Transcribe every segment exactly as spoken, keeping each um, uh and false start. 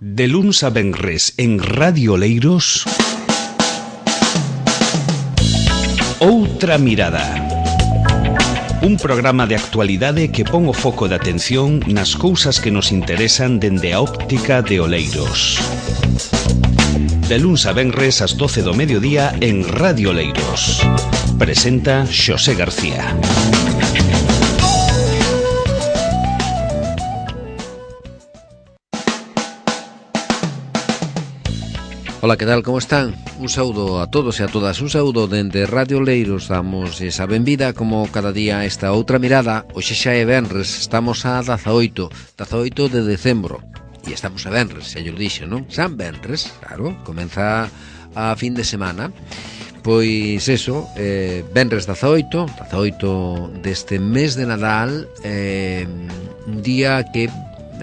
De luns a venres en Radio Oleiros, Outra Mirada. Un programa de actualidade que pon o foco de atención nas cousas que nos interesan dende a óptica de Oleiros. De luns a venres ás doce do mediodía en Radio Oleiros. Presenta Xosé García. Ola, que tal, como están? Un saúdo a todos e a todas, un saúdo dende Radio Oleiros. Damos esa benvida como cada día esta outra mirada. Hoxe xa é venres, estamos a dezaoito de decembro. E estamos a venres, xa yo dixo, non? San venres, claro, comeza a fin de semana. Pois eso, eh, venres dezaoito, dezaoito deste mes de Nadal, eh, un día que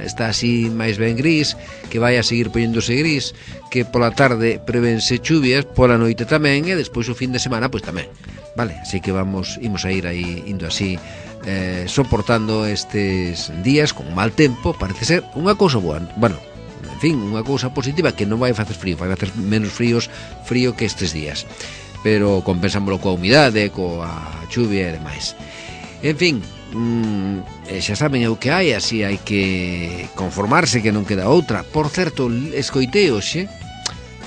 está así máis ben gris, que vai a seguir poñéndose gris, que pola tarde prevense chuvias, pola noite tamén, e despois o fin de semana pois tamén, vale? Así que vamos, imos a ir aí indo así, eh, soportando estes días con mal tempo. Parece ser unha cousa boa, bueno, en fin, unha cousa positiva, que non vai facer frío, vai facer menos fríos, frío que estes días, pero compensámoslo coa humidade, coa chuvia e demais. En fin, Mm, xa saben o que hai, así hai que conformarse, que non queda outra. Por certo, escoitei hoxe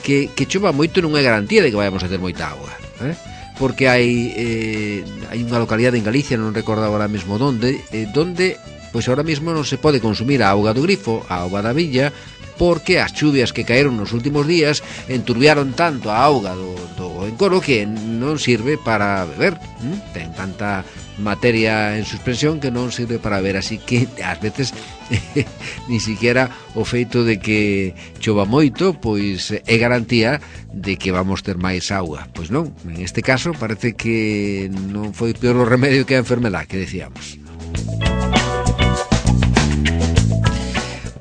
que, que chova moito non é garantía de que vayamos a ter moita auga, eh? Porque hai eh, hai unha localidade en Galicia, non recordo agora mesmo donde, eh, donde pois ahora mesmo non se pode consumir a auga do grifo, a auga da villa, porque as chuvias que caeron nos últimos días enturbiaron tanto a auga do, do encoro que non sirve para beber, ¿Mm? Ten tanta materia en suspensión que non sirve para beber, así que ás veces ni siquiera o feito de que chova moito pois é garantía de que vamos ter máis auga. Pois non, en este caso parece que non foi peor o remedio que a enfermedade que decíamos.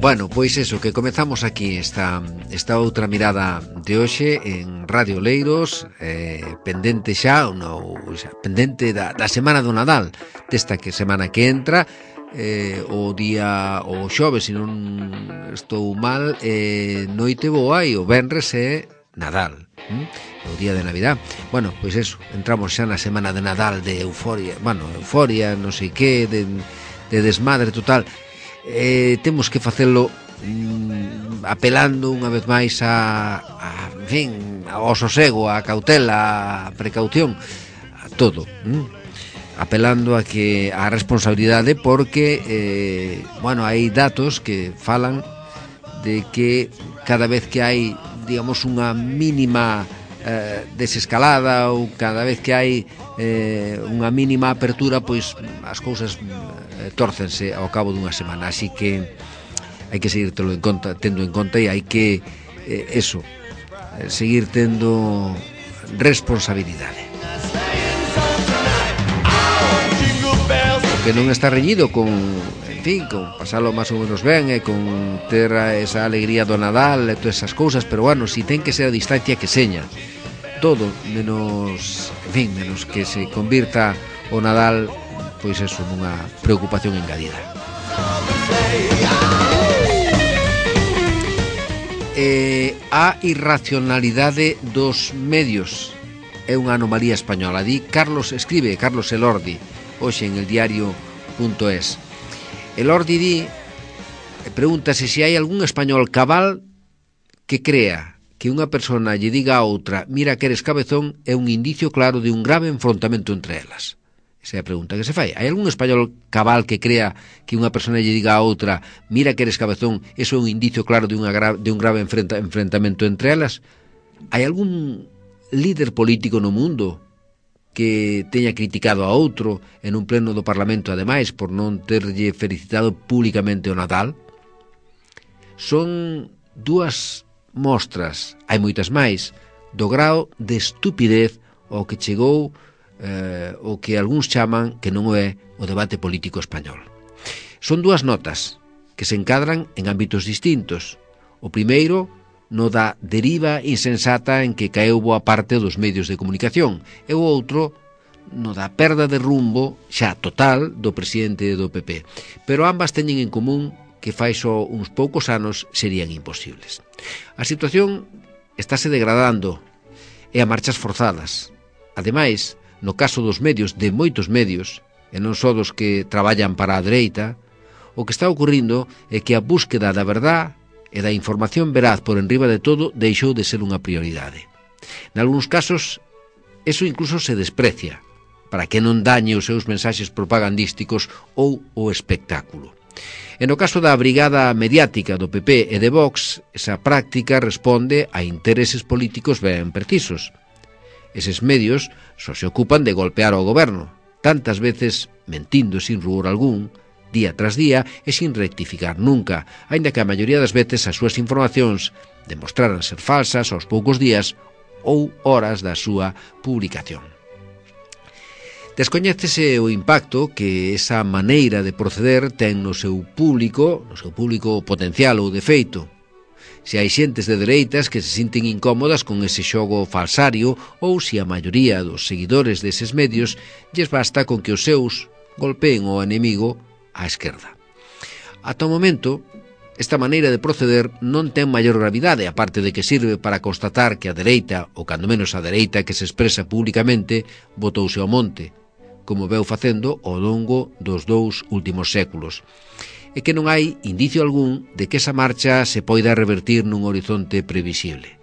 Bueno, pois eso, que comezamos aquí esta, esta outra mirada de hoxe en Radio Oleiros, eh, pendente xa, no, xa pendente da, da semana do Nadal, desta que semana que entra, eh, o día, o xoves, se non estou mal, eh, noite boa, e o venres é Nadal, hm? O día de Navidad. Bueno, pois eso, entramos xa na semana de Nadal, de euforia, bueno, euforia, non sei que, de, de desmadre total. Eh, temos que facelo mm, apelando unha vez máis a, a en fin, ao sosego, a cautela, a precaución, a todo, mm? Apelando a que a responsabilidade, porque eh, bueno, hai datos que falan de que cada vez que hai, digamos, unha mínima eh, desescalada, ou cada vez que hai eh, unha mínima apertura, pois as cousas eh, tórcense ao cabo dunha semana. Así que hai que seguir tendo en conta, tendo en conta e hai que eh, eso, eh, seguir tendo responsabilidade. O que non está reñido con, en fin, con pasalo máis ou menos ben, e con ter esa alegría do Nadal e todas esas cousas, pero bueno, si ten que ser a distancia que seña todo, menos, en fin, menos que se convirta o Nadal, pois eso, nunha preocupación engadida. Eh, a irracionalidade dos medios é unha anomalía española, di Carlos, escribe Carlos Elordi hoxe en el diario punto es. Elordi di, pregúntase se hai algún español cabal que crea que unha persona lle diga a outra mira que eres cabezón é un indicio claro de un grave enfrontamento entre elas. Esa é a pregunta que se fai. Hai algún español cabal que crea que unha persona lle diga a outra mira que eres cabezón, eso é un indicio claro de, unha gra- de un grave enfrenta- enfrentamento entre elas? Hai algún líder político no mundo que teña criticado a outro en un pleno do Parlamento, ademais, por non terlle felicitado públicamente o Nadal? Son dúas mostras, hai moitas máis, do grao de estupidez ao que chegou eh, o que algúns chaman que non é o debate político español. Son dúas notas que se encadran en ámbitos distintos. O primeiro, no da deriva insensata en que caeu boa parte dos medios de comunicación, e o outro, no da perda de rumbo xa total do presidente do P P. Pero ambas teñen en común que fai só uns poucos anos serían imposibles. A situación estáse degradando e a marchas forzadas. Ademais, no caso dos medios, de moitos medios, e non só dos que traballan para a dereita, o que está ocurrindo é que a búsqueda da verdad e da información veraz por enriba de todo deixou de ser unha prioridade. Nalgúns casos, eso incluso se desprecia, para que non dañe os seus mensaxes propagandísticos ou o espectáculo. E no caso da brigada mediática do P P e de Vox, esa práctica responde a intereses políticos ben precisos. Eses medios só se ocupan de golpear ao goberno, tantas veces mentindo sin rubor algún, día tras día e sin rectificar nunca, aínda que a maioría das veces as súas informacións demostraran ser falsas aos poucos días ou horas da súa publicación. Descoñécese o impacto que esa maneira de proceder ten no seu público, no seu público potencial ou de feito. Se hai xentes de dereitas que se sinten incómodas con ese xogo falsario ou se a maioría dos seguidores deses medios lles basta con que os seus golpeen ao enemigo á esquerda. Ata o momento, esta maneira de proceder non ten maior gravidade, aparte de que sirve para constatar que a dereita, ou cando menos a dereita que se expresa públicamente, botouse ao monte, como veu facendo ao longo dos dous últimos séculos, e que non hai indicio algún de que esa marcha se poida revertir nun horizonte previsible.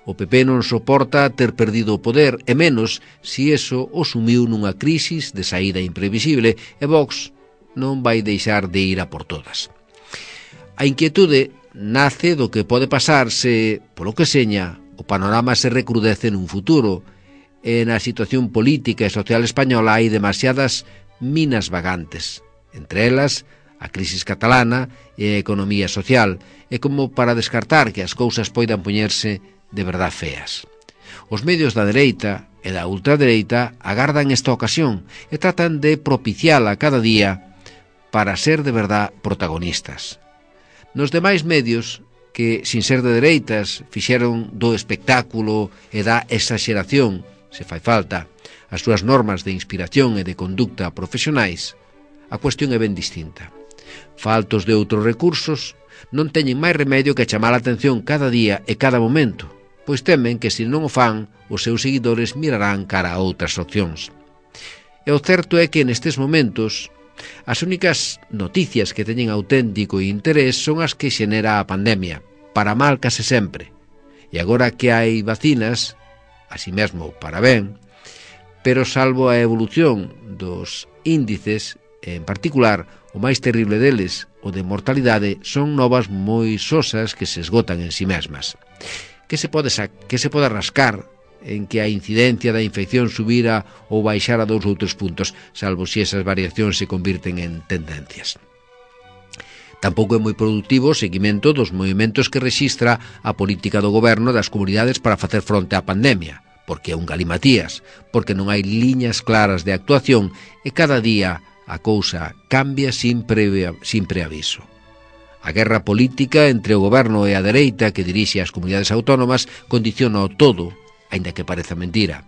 O P P non soporta ter perdido o poder, e menos si eso o sumiu nunha crisis de saída imprevisible, e Vox non vai deixar de ir a por todas. A inquietude nace do que pode pasar se, polo que seña, o panorama se recrudece nun futuro, e na situación política e social española hai demasiadas minas vagantes, entre elas a crisis catalana e a economía social, e como para descartar que as cousas poidan poñerse de verdad feas. Os medios da dereita e da ultradereita agardan esta ocasión e tratan de propiciala cada día para ser de verdad protagonistas. Nos demais medios, que, sin ser de dereitas, fixeron do espectáculo e da exageración, se fai falta, as súas normas de inspiración e de conducta profesionais, a cuestión é ben distinta. Faltos de outros recursos, non teñen máis remedio que chamar a atención cada día e cada momento, pois temen que, se non o fan, os seus seguidores mirarán cara a outras opcións. E o certo é que nestes momentos as únicas noticias que teñen auténtico interés son as que xenera a pandemia, para mal case sempre. E agora que hai vacinas, así mesmo para ben, pero salvo a evolución dos índices, en particular, o máis terrible deles, o de mortalidade, son novas moi sosas que se esgotan en si mesmas. Que se pode, que se pode rascar en que a incidencia da infección subira ou baixara dous ou tres puntos, salvo se esas variacións se convirten en tendencias. Tampouco é moi productivo o seguimento dos movimentos que rexistra a política do goberno das comunidades para facer fronte á pandemia, porque é un galimatías, porque non hai liñas claras de actuación e cada día a cousa cambia sin, previa, sin preaviso. A guerra política entre o goberno e a dereita que dirixe as comunidades autónomas condiciona o todo, aínda que pareza mentira.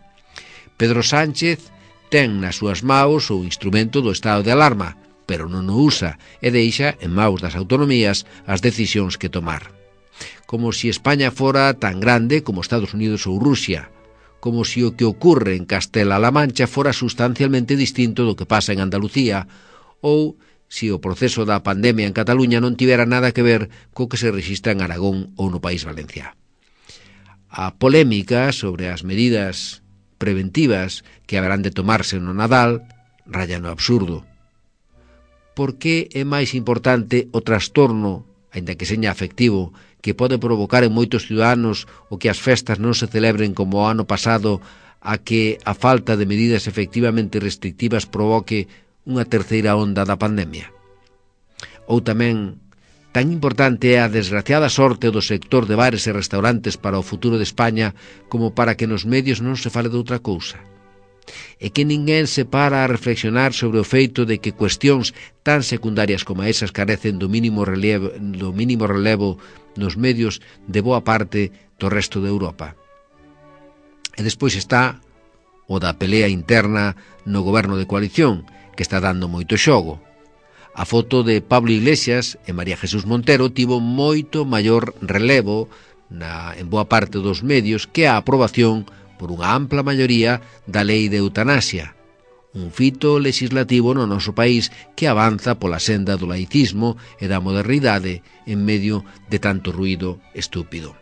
Pedro Sánchez ten nas súas maus o instrumento do estado de alarma, pero non o usa e deixa en maus das autonomías as decisións que tomar. Como se España fora tan grande como Estados Unidos ou Rusia, como se o que ocurre en Castela-La Mancha fora sustancialmente distinto do que pasa en Andalucía, ou se o proceso da pandemia en Cataluña non tivera nada que ver co que se rexistra en Aragón ou no País Valencià. A polémica sobre as medidas preventivas que haberán de tomarse no Nadal raya no absurdo. Por que é máis importante o trastorno, aínda que seña afectivo, que pode provocar en moitos ciudadanos o que as festas non se celebren como o ano pasado, a que a falta de medidas efectivamente restrictivas provoque unha terceira onda da pandemia? Ou tamén, tan importante é a desgraciada sorte do sector de bares e restaurantes para o futuro de España como para que nos medios non se fale de outra cousa? E que ninguén se para a reflexionar sobre o feito de que cuestións tan secundarias como esas carecen do mínimo relevo, do mínimo relevo nos medios de boa parte do resto de Europa. E despois está o da pelea interna no goberno de coalición, que está dando moito xogo. A foto de Pablo Iglesias e María Jesús Montero tivo moito maior relevo na, en boa parte dos medios que a aprobación por unha ampla maioría da lei de eutanasia, un fito legislativo no noso país que avanza pola senda do laicismo e da modernidade en medio de tanto ruído estúpido.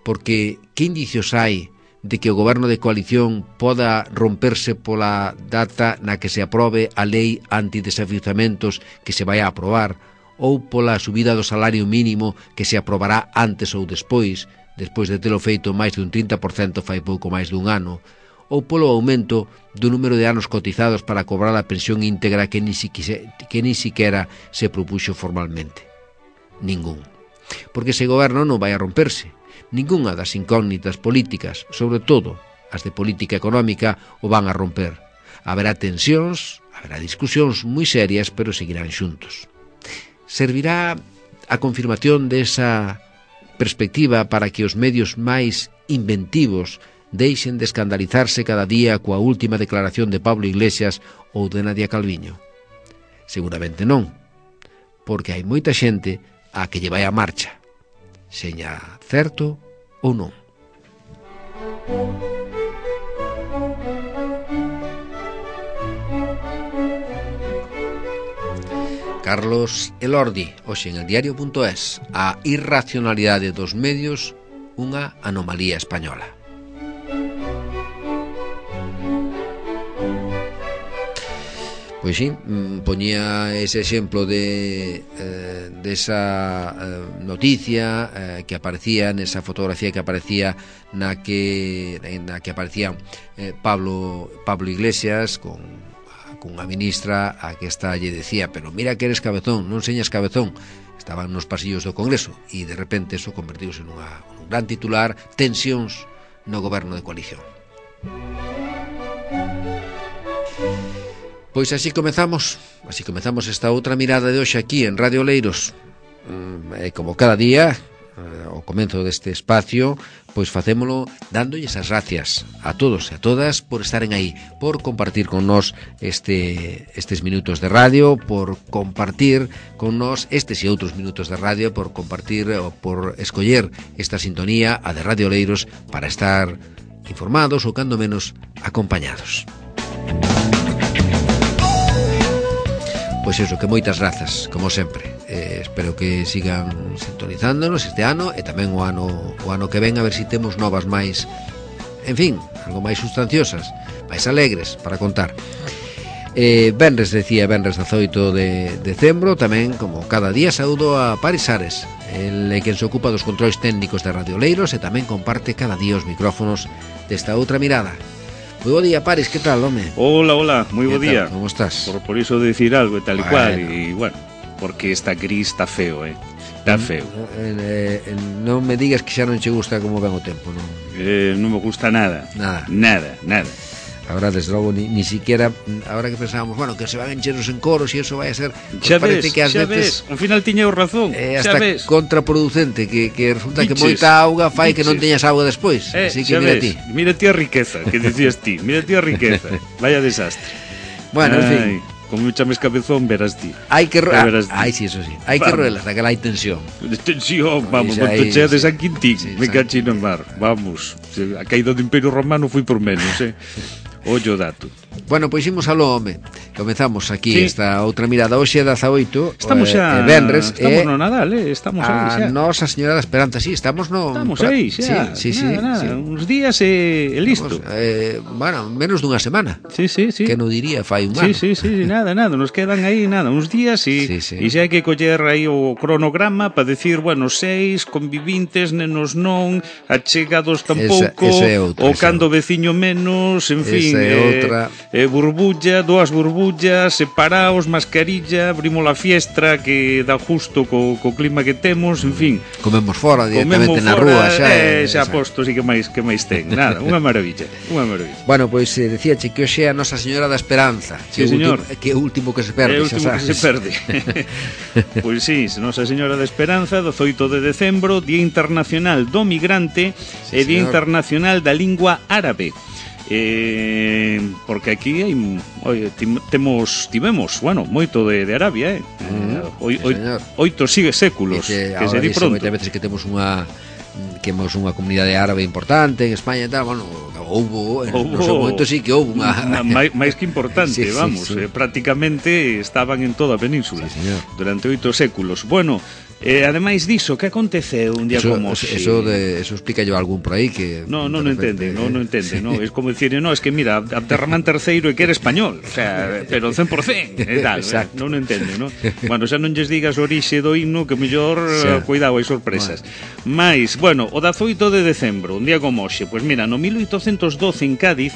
Porque que indicios hai de que o goberno de coalición poda romperse pola data na que se aprobe a lei antidesafiuzamentos que se vai a aprobar, ou pola subida do salario mínimo que se aprobará antes ou despois, despois de telo feito máis de un trinta por cento fai pouco máis dun ano, ou polo aumento do número de anos cotizados para cobrar a pensión íntegra que ni, siquiera, que ni siquiera se propuxo formalmente. Ningún. Porque ese goberno non vai a romperse. Ningunha das incógnitas políticas, sobre todo as de política económica, o van a romper. Haberá tensións, haberá discusións moi serias, pero seguirán xuntos. Servirá a confirmación desa perspectiva para que os medios máis inventivos deixen de escandalizarse cada día coa última declaración de Pablo Iglesias ou de Nadia Calviño? Seguramente non, porque hai moita xente a que lle vai a marcha, seña certo ou non. Carlos Elordi, hoxe en el diario punto es, a irracionalidade dos medios, unha anomalía española. Pois sí, poñía ese exemplo de eh, desa eh, noticia eh, que aparecía nesa fotografía que aparecía na que na que aparecía eh, Pablo Pablo Iglesias con con unha ministra a que esta lle decía, pero mira que eres cabezón, non señas cabezón. Estaban nos pasillos do Congreso e de repente eso convertiuse nunha, nun gran titular, tensións no goberno de coalición. Pois así comezamos, así comezamos esta outra mirada de hoxe aquí en Radio Oleiros. E como cada día, ao comezo deste espacio, pois facémolo dándolles as gracias a todos e a todas por estaren aí, por compartir con nós este, estes minutos de radio, por compartir con nós estes e outros minutos de radio, por compartir ou por escoller esta sintonía, a de Radio Oleiros, para estar informados ou cando menos acompañados. Pois iso, que moitas grazas, como sempre. Eh, espero que sigan sintonizándonos este ano e tamén o ano o ano que ven, a ver se si temos novas máis, en fin, algo máis sustanciosas, máis alegres para contar. Eh, Benres, decía, Benres dezoito de decembro, tamén, como cada día, saúdo a Paris Ares, el que se ocupa dos controis técnicos de Radio Oleiros e tamén comparte cada día os micrófonos desta outra mirada. Moi bo día, Paris, que tal, home? Hola, hola, moi bo día. Como estás? Por, por iso decir algo e tal e bueno. cual, e bueno, porque está gris, está feo, eh? Está feo. Eh, eh, non me digas que xa non che gusta como ven o tempo, non? Eh, non me gusta nada. Nada. Nada, nada. Ahora, desde logo, ni, ni siquiera, ahora que pensábamos, bueno, que se van encheros en coros e eso vai a ser, pues xa ves, parece que ás xa veces, ves, ao final tiña o razón, eh, xa hasta ves. contraproducente, que, que resulta Biches, que moita auga fai biches. que non teñas auga despois, Eh, así que xa mira ves, ti. mira ti a riqueza, que decías ti, mira ti a riqueza, vaya desastre. Bueno, en fin. Ai, como me chames cabezón, verás ti. Hai que ro- verás ti. Ai, sí, eso sí. Hai que Vamos. roelas, daquela hai tensión. De tensión, vamos, Xa con aí, tochea de sí. San Quintín, Sí, me San- cachino en mar, vamos. A caída do Imperio Romano foi por menos, eh. Ollo dato. Bueno, pois imos ao home. Comezamos aquí Sí. esta outra mirada hoxe dezaoito, Estamos eh, xa, eh, venres, estamos e no Nadal, eh, estamos a aí xa. Nosa Señora da Esperanza, sí, estamos no Estamos pra- aí xa. Sí, sí, nada, sí, nada, sí. uns días e, e listo. Vamos, eh, bueno, menos dunha semana. Sí, sí, sí. Que non diría fai un ano. Sí, sí, sí, nada, nada, nos quedan aí nada, uns días e Sí, sí. e xa hai que coller aí o cronograma para decir, bueno, seis convivintes, nenos non, achegados tampouco, Esa- esa é outra, o esa cando veciño menos, en fin, Esa é eh, outra. eh, burbulla, dúas burbullas, separaos, mascarilla, abrimos a fiestra que dá justo co, co clima que temos, en fin. Comemos fora directamente Comemos na fora, rúa xa. eh, eh, xa xa. posto, sí que máis que máis ten. Nada, unha maravilla, unha maravilla. Bueno, pois eh, decíache que hoxe é a Nosa Señora da Esperanza. Sí, que o señor. último, que é o último que se perde, É o xa último que sabes. se perde. Pois sí, Nosa Señora da Esperanza, dezoito de decembro, Día Internacional do Migrante Sí, e Día señor. Internacional da Lingua Árabe. eh, porque aquí hai, oi, tim, temos, tivemos, bueno, moito de, de Arabia, eh? Mm, oi, sí, oi, oito sigue séculos, que, que se di pronto. Moitas veces que temos unha que temos unha comunidade árabe importante en España e tal, bueno, houbo, en houbo, no seu momento sí que houbo unha... máis, máis que importante, sí, sí, vamos, sí. Eh, prácticamente estaban en toda a península, sí, durante oito séculos. Bueno, Eh, ademais diso, que aconteceu un día eso, como eso, si... eso, de, eso explica yo algún por aí que... No, no, no entende, no, no entende, sí. No, es como decir, no, es que mira, Abderramán terceiro e que era español, o sea, pero cen por cen, e tal, eh, non o entende, no? Bueno, xa non lles digas o orixe do himno, que mellor, sí. Cuidado, hai sorpresas. Bueno. Mais, bueno, o dezaoito de decembro, un día como hoxe, pois mira, no mil oitocentos doce en Cádiz,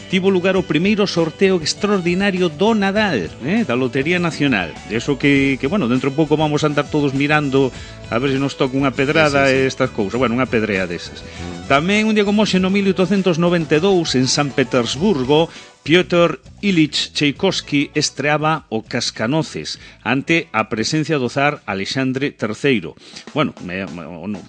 tivo lugar o primeiro sorteo extraordinario do Nadal, eh, da Lotería Nacional. Eso que, que, bueno, dentro de pouco vamos a andar todos mirando a ver se nos toca unha pedrada e sí, sí, sí. estas cousas. Bueno, unha pedrea desas. Mm. Tamén un día como hoxe no mil oitocentos noventa e dous en San Petersburgo, Piotr Ilich Tchaikovsky estreaba o Cascanoces ante a presencia do zar Alexandre terceiro. Bueno, me, me,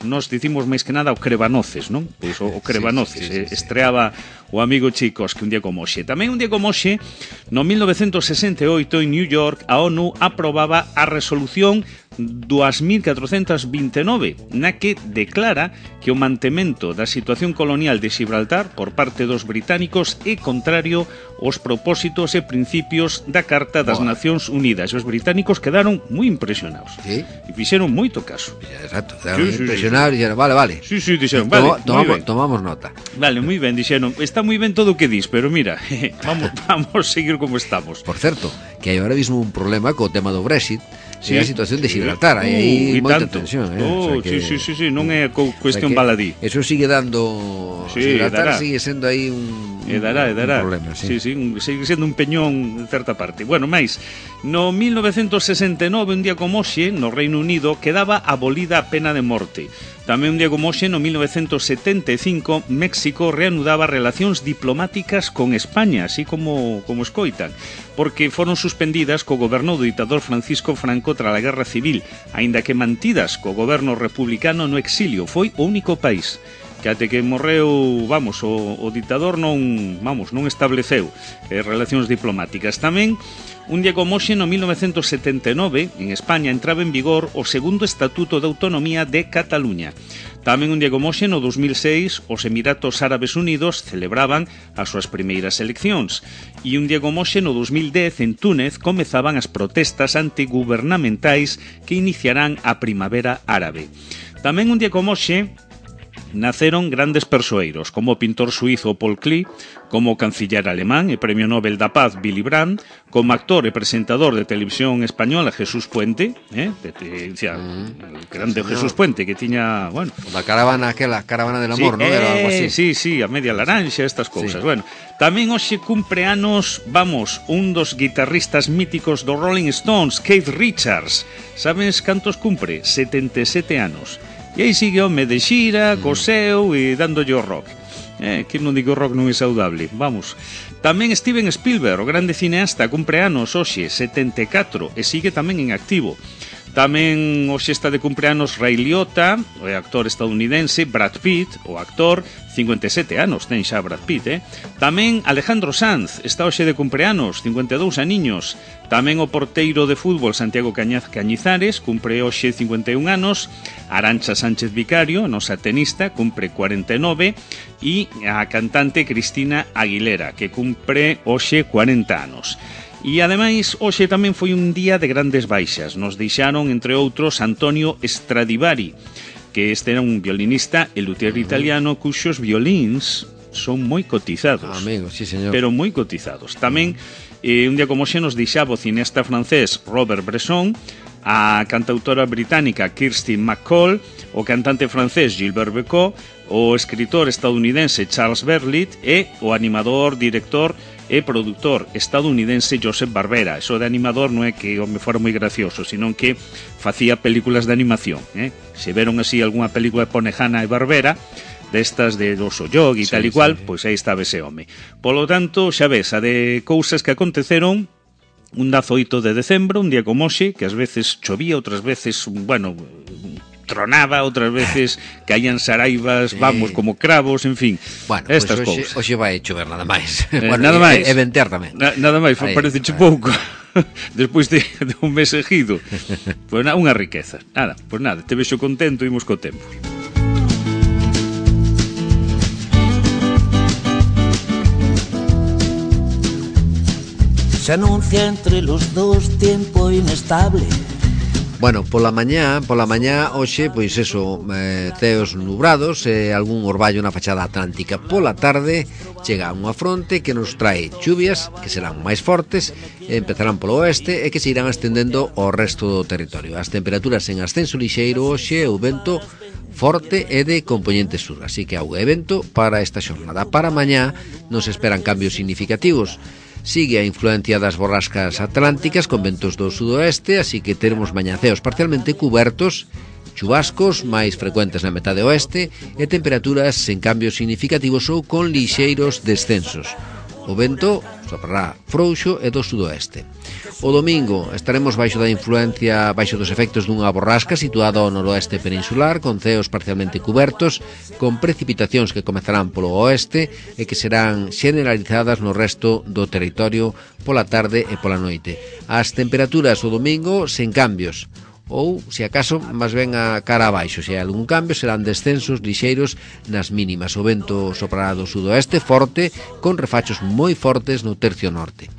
nos dicimos máis que nada o Crebanoces, non? Pois o, o Crebanoces, sí, sí, sí, sí, estreaba o amigo Tchaikovsky un día como hoxe. Tamén un día como hoxe, no mil novecentos sesenta e oito en New York, a ONU aprobaba a resolución dous mil catrocentos vinte e nove, na que declara que o mantemento da situación colonial de Gibraltar por parte dos británicos é contrario aos propósitos e principios da Carta das Boa. Nacións Unidas. Os británicos quedaron moi impresionados. Sí. E fixeron moito caso. Exacto, quedaron sí, impresionados sí, sí. e dixeron, vale, vale. Sí, sí, dixeron, vale, tomamos, tomamos nota. Vale, moi ben, dixeron, está moi ben todo o que dis, pero mira, vamos, vamos seguir como estamos. Por certo, que hai ahora mismo un problema co tema do Brexit, sí, a situación de Gibraltar, uh, hai aí moita tensión, eh? Oh, o sea que, sí, sí, sí, non é cuestión o sea baladí. Eso sigue dando, sí, Gibraltar dará. sigue sendo aí un, e dará, e dará. un problema, sí. Sí, sí, un, sigue sendo un peñón en certa parte. Bueno, máis, no mil novecentos sesenta e nove, un día como hoxe, no Reino Unido, quedaba abolida a pena de morte. Tamén un día como hoxe, no mil novecentos setenta e cinco, México reanudaba relacións diplomáticas con España, así como, como escoitan, porque foron suspendidas co goberno do ditador Francisco Franco tras a Guerra Civil, aínda que mantidas co goberno republicano no exilio. Foi o único país que até que morreu, vamos, o, o ditador non, vamos, non estableceu eh, relacións diplomáticas. Tamén, un día como hoxe, no mil novecentos setenta e nove, en España entraba en vigor o segundo Estatuto de Autonomía de Cataluña. Tamén un día como hoxe, no dos mil seis, os Emiratos Árabes Unidos celebraban as súas primeiras eleccións. E un día como hoxe, no dos mil dez, en Túnez, comezaban as protestas antigubernamentais que iniciarán a Primavera Árabe. Tamén un día como hoxe, naceron grandes persoeiros, como o pintor suizo Paul Klee, como o canciller alemán e premio Nobel da Paz Willy Brandt, como actor e presentador de televisión española Jesús Puente, eh, de, de, de, mm, grande sí, Jesús Puente, que tiña, bueno, la caravana, aquela caravana del amor, sí, ¿no? Eh, Era algo así. Sí, sí, a media laranxa, estas cousas. Sí. Bueno, tamén hoxe cumpre anos, vamos, un dos guitarristas míticos do Rolling Stones, Keith Richards. Sabes cantos cumpre? setenta e sete anos. E aí sigue home de xira, mm. coseu e dándolle o rock. Eh, que non digo rock non é saudable. Vamos. Tamén Steven Spielberg, o grande cineasta, cumpre anos hoxe, setenta e catro, e sigue tamén en activo. Tamén hoxe está de cumpleanos Ray Liotta, o actor estadounidense, Brad Pitt, o actor, cincuenta e sete anos, ten xa Brad Pitt, eh? Tamén Alejandro Sanz, está hoxe de cumpleanos, cincuenta e dous aniños. Tamén o porteiro de fútbol Santiago Cañaz Cañizares, cumpre hoxe cincuenta e un anos. Arantxa Sánchez Vicario, nosa tenista, cumpre cuarenta e nove. E a cantante Cristina Aguilera, que cumpre hoxe cuarenta anos. E ademais, hoxe tamén foi un día de grandes baixas. Nos deixaron, entre outros, Antonio Stradivari, que este era un violinista e luthier italiano cuxos violíns son moi cotizados. Amigo, sí, señor. Pero moi cotizados. Tamén, eh, un día como hoxe nos deixaba o cineasta francés Robert Bresson, a cantautora británica Kirsty MacColl, o cantante francés Gilbert Bécaud, o escritor estadounidense Charles Berlit e o animador, director e produtor estadounidense Joseph Barbera. Eso de animador non é que o me fora moi gracioso, sino que facía películas de animación, eh? Se veron así algunha película de Ponejana e Barbera, destas de Oso Yog e sí, tal e cual, sí. Pois aí estaba ese home. Polo tanto, xa ves, a de cousas que aconteceron un dezaoito de decembro, un día como hoxe, que ás veces chovía, outras veces, bueno, tronaba, outras veces caían saraivas, sí. vamos, como cravos, en fin, bueno, estas pues cousas. Hoxe vai chover nada máis. Eh, bueno, nada máis. E, e ventear tamén. Na, nada máis, parece che pouco. Despois de, de un mes seguido. Pois pues, unha riqueza. Nada, pois pues nada, te vexo contento, imos co tempo. Se anuncia entre los dos tiempo inestable. Bueno, pola mañá, pola mañá hoxe, pois eso, eh, ceos nubrados e eh, algún orballo na fachada atlántica. Pola tarde chega unha fronte que nos trae chuvias que serán máis fortes, empezarán polo oeste e que se irán estendendo ao resto do territorio. As temperaturas en ascenso lixeiro hoxe e o vento forte e de componente sur, así que auga e vento para esta xornada. Para mañá nos esperan cambios significativos. Sigue a influencia das borrascas atlánticas con ventos do sudoeste, así que teremos mañaceos parcialmente cubertos, chubascos máis frecuentes na metade oeste e temperaturas sen cambios significativos ou con lixeiros descensos. O vento soprará frouxo e do sudoeste. O domingo estaremos baixo da influencia, baixo dos efectos dunha borrasca situada ao noroeste peninsular, con ceos parcialmente cubertos, con precipitacións que comezarán polo oeste e que serán generalizadas no resto do territorio pola tarde e pola noite. As temperaturas o domingo sen cambios, ou, se acaso, máis ben a cara abaixo. Se hai algún cambio, serán descensos lixeiros nas mínimas. O vento soprará do sudoeste forte, con refachos moi fortes no tercio norte.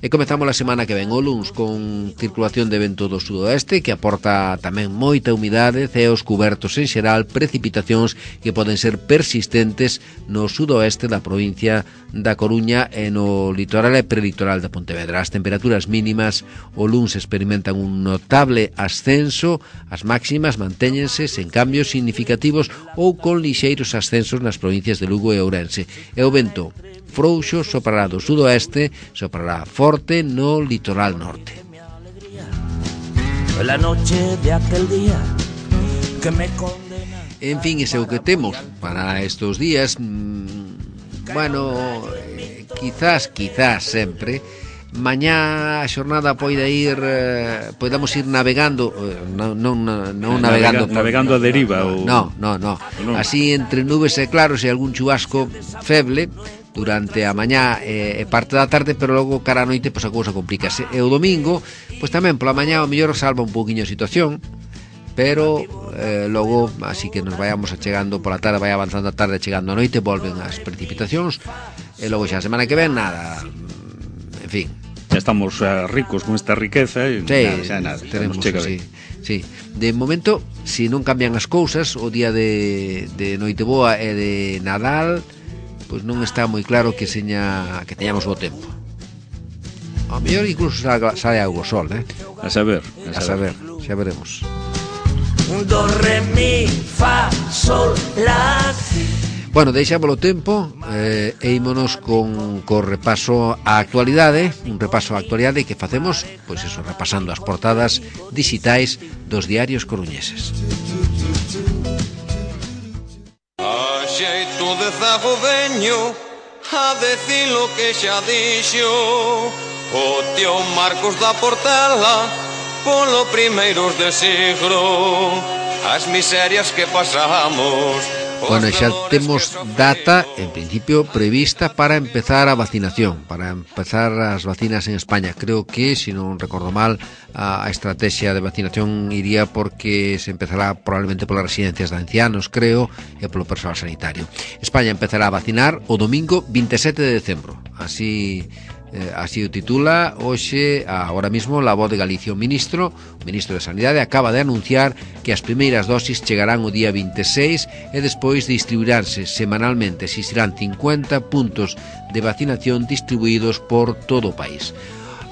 E comezamos a semana que ven o luns con circulación de vento do sudoeste que aporta tamén moita humidade, ceos cubertos en xeral, precipitacións que poden ser persistentes no sudoeste da provincia da Coruña e no litoral e prelitoral da Pontevedra. As temperaturas mínimas o luns experimentan un notable ascenso, as máximas mantéñense sen cambios significativos ou con lixeiros ascensos nas provincias de Lugo e Ourense. E o vento frouxo soprará do sudoeste, soprará forte no litoral norte. La noche de aquel día que me condena. En fin, ese é o que temos para estos días. Mm, bueno, eh, quizás, quizás sempre mañá a xornada poida ir eh, podamos ir navegando eh, non, non, non navegando navegando a deriva ou... no, no, no, no, así entre nubes e claros e algún chubasco feble durante a mañá e eh, parte da tarde, pero logo cara a noite pois a cousa complícase. E o domingo, pois tamén pola mañá o mellor salva un pouquiño a situación, pero eh, logo así que nos vayamos achegando pola tarde, vai avanzando a tarde, chegando a noite, volven as precipitacións e logo xa a semana que ven nada. En fin, ya estamos uh, ricos con esta riqueza e sí, nada, xa nada, teremos, chega sí, sí. De momento, se si non cambian as cousas, o día de, de Noiteboa e de Nadal, pois pues non está moi claro que seña que teñamos bo tempo. A mellor incluso sale, sale algo sol, eh? A saber, a, a saber, saber, xa veremos. Do, re, mi, fa, sol, la, si. Bueno, deixámolo tempo eh, e ímonos con, con repaso á actualidade, un repaso á actualidade que facemos, pois eso, repasando as portadas digitais dos diarios coruñeses. A xeito de zago veño a decir lo que xa dixo o tío Marcos da Portela polo primeiros de siglo, as miserias que pasamos. Bueno, xa temos data, en principio, prevista para empezar a vacinación, para empezar as vacinas en España. Creo que, se non recordo mal, a, a estrategia de vacinación iría porque se empezará probablemente polas residencias de ancianos, creo, e polo persoal sanitario. España empezará a vacinar o domingo veinte e sete de decembro. Así... Eh, así o titula hoxe, agora mismo, La Voz de Galicia. O ministro, o ministro de Sanidade, acaba de anunciar que as primeiras dosis chegarán o día veinte e seis e despois distribuiránse semanalmente. Existirán cincuenta puntos de vacinación distribuídos por todo o país.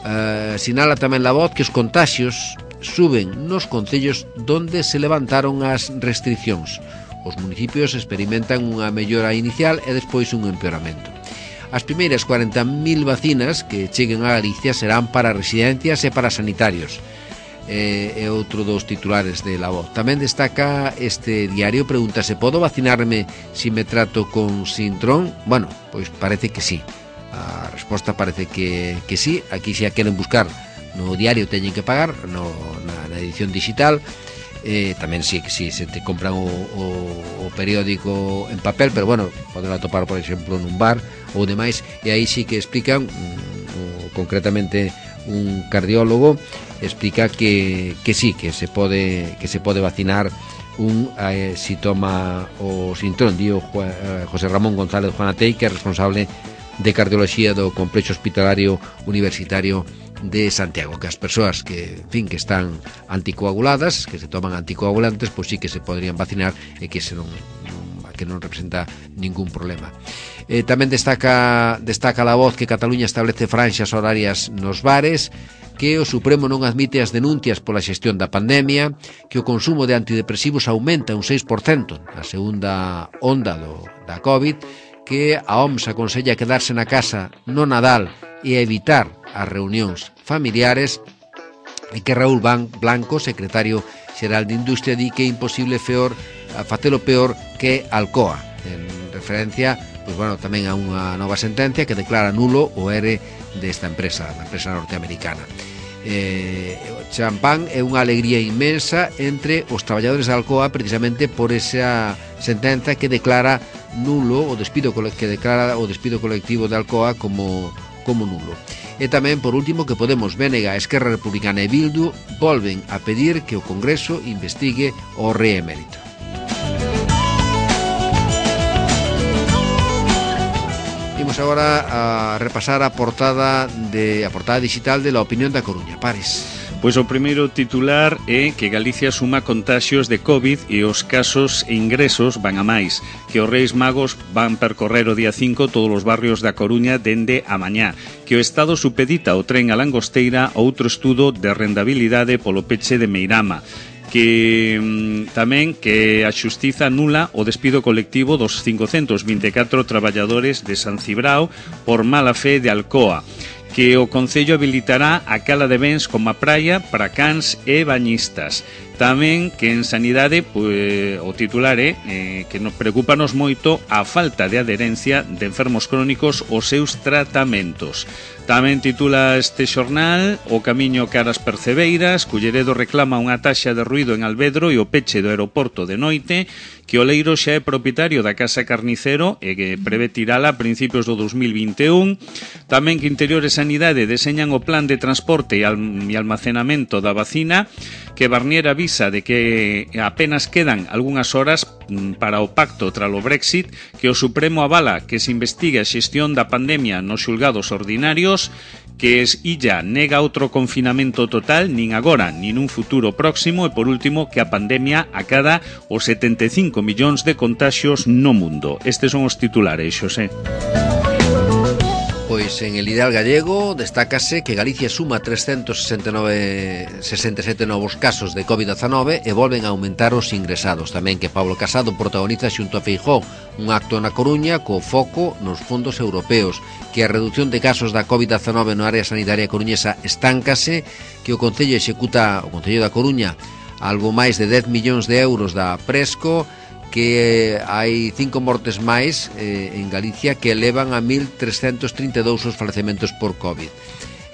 Eh, sinala tamén La Voz que os contaxios suben nos concellos donde se levantaron as restriccións. Os municipios experimentan unha mellora inicial e despois un empeoramento. As primeiras cuarenta mil vacinas que cheguen a Galicia serán para residencias e para sanitarios. É, é outro dos titulares de La Voz. Tamén destaca este diario, pregúntase, podo vacinarme se me trato con Sintrón? Bueno, pois parece que sí. A resposta parece que, que sí. Aquí se a queren buscar no diario teñen que pagar, no, na, na edición digital. eh, tamén si, si se te compran o, o, o periódico en papel, pero bueno, poden atopar por exemplo nun bar ou demais, e aí sí que explican um, concretamente un cardiólogo explica que, que sí, que se pode que se pode vacinar un eh, si toma o sintrón, dio eh, José Ramón González Juanatei, que é responsable de cardioloxía do Complexo Hospitalario Universitario de Santiago, que as persoas que, en fin, que están anticoaguladas, que se toman anticoagulantes, pois sí que se poderían vacinar e que se non, que non representa ningún problema. Eh, tamén destaca destaca la voz que Cataluña establece franxas horarias nos bares, que o Supremo non admite as denuncias pola xestión da pandemia, que o consumo de antidepresivos aumenta un seis por cento na segunda onda do, da COVID, que a O M S aconsella quedarse na casa no Nadal e evitar as reunións familiares, e que Raúl Blanco, secretario xeral de Industria, di que é imposible feor, a facelo peor que Alcoa, en referencia pois, bueno, tamén a unha nova sentencia que declara nulo o E R E desta empresa, da empresa norteamericana. Eh, o champán é unha alegría inmensa entre os traballadores da Alcoa, precisamente por esa sentenza que declara nulo o despido que declara o despido colectivo de Alcoa como como nulo. E tamén, por último, que Podemos, B N G, Esquerra Republicana e Bildu volven a pedir que o Congreso investigue o reemérito. Imos agora a repasar a portada de a portada digital de La Opinión da Coruña. Pares. Pois o primeiro titular é que Galicia suma contaxios de COVID e os casos e ingresos van a máis, que os Reis Magos van percorrer o día cinco todos os barrios da Coruña dende a mañá, que o Estado supedita o tren a Langosteira outro estudo de rentabilidade polo peche de Meirama, que mm, tamén que a xustiza anula o despido colectivo dos cincocentos vinte e catro traballadores de San Cibrao por mala fe de Alcoa, que o Concello habilitará a cala de bens como a praia para cans e bañistas. Tamén que en sanidade pues, o titular é eh, que nos preocupanos moito a falta de adherencia de enfermos crónicos aos seus tratamentos. Tamén titula este xornal o camiño caras Percebeiras, Culleredo reclama unha taxa de ruido en Alvedro e o peche do aeroporto de noite, que Oleiro xa é propietario da Casa Carnicero e que prevé tirala a principios do dos mil vinte e un. Tamén que Interior e Sanidade deseñan o plan de transporte e almacenamento da vacina, que Barnier avisa de que apenas quedan algunhas horas para o pacto tras o Brexit, que o Supremo avala que se investigue a xestión da pandemia nos xulgados ordinarios, que es Illa nega outro confinamento total nin agora nin un futuro próximo, e por último que a pandemia acada os setenta e cinco millóns de contaxios no mundo. Estes son os titulares, Xosé. Pois en el Ideal Gallego destácase que Galicia suma trescentos sesenta e nove, sesenta e sete novos casos de COVID dezanove e volven a aumentar os ingresados. Tamén que Pablo Casado protagoniza xunto a Feijóo un acto na Coruña co foco nos fondos europeos, que a reducción de casos da COVID dezanove no área sanitaria coruñesa estáncase, que o Concello executa, o Concello da Coruña, algo máis de dez millóns de euros da Presco, que hai cinco mortes máis eh, en Galicia que elevan a mil trescentos trinta e dous os falecementos por COVID,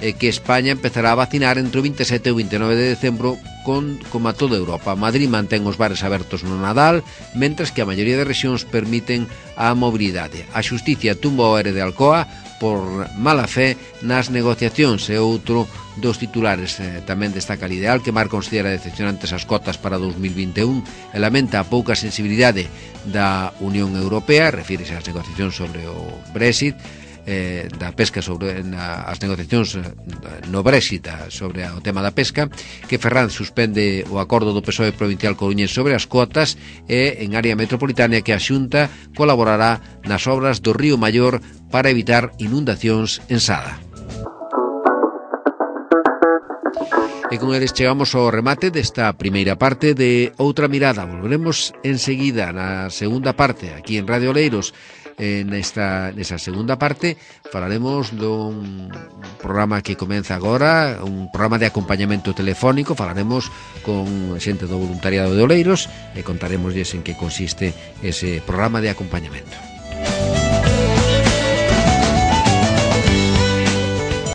e que España empezará a vacinar entre o vinte e sete e o vinte e nove de decembro con, como a toda Europa. Madrid mantén os bares abertos no Nadal, mentres que a maioría de rexións permiten a mobilidade. A xusticia tumba o E R E de Alcoa por mala fe nas negociacións, e outro dos titulares. Eh, tamén destaca el Ideal que Mar considera decepcionantes as cotas para dos mil vinte e un e lamenta a pouca sensibilidade da Unión Europea, refírese ás negociacións sobre o Brexit, eh, da pesca sobre na, as negociacións no Brexit sobre o tema da pesca, que Ferran suspende o acordo do P S O E provincial coruñés sobre as cotas, e en área metropolitana que a Xunta colaborará nas obras do Río Maior para evitar inundacións en Sada. E con eles chegamos ao remate desta primeira parte de Outra Mirada. Volveremos enseguida na segunda parte, aquí en Radio Oleiros. En esta, nesa segunda parte falaremos dun programa que comeza agora, un programa de acompañamento telefónico. Falaremos con xente do voluntariado de Oleiros e contaremosles en que consiste ese programa de acompañamento.